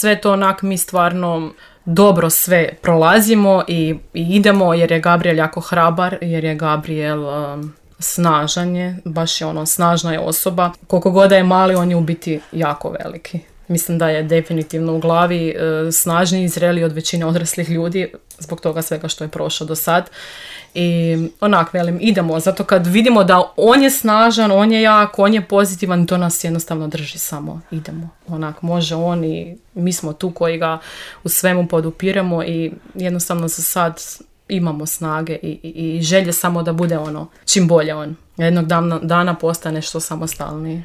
sve to onak mi stvarno dobro sve prolazimo i idemo, jer je Gabriel jako hrabar, jer je Gabriel snažan je, baš je snažna je osoba. Koliko god da je mali, on je u biti jako veliki. Mislim da je definitivno u glavi snažniji i zreliji od većine odraslih ljudi zbog toga svega što je prošao do sad. I velim, idemo, zato kad vidimo da on je snažan, on je jak, on je pozitivan, to nas jednostavno drži samo, idemo. Može on i mi smo tu koji ga u svemu podupiramo i jednostavno za sad imamo snage i želje samo da bude čim bolje on. Jednog dana postane što samostalniji.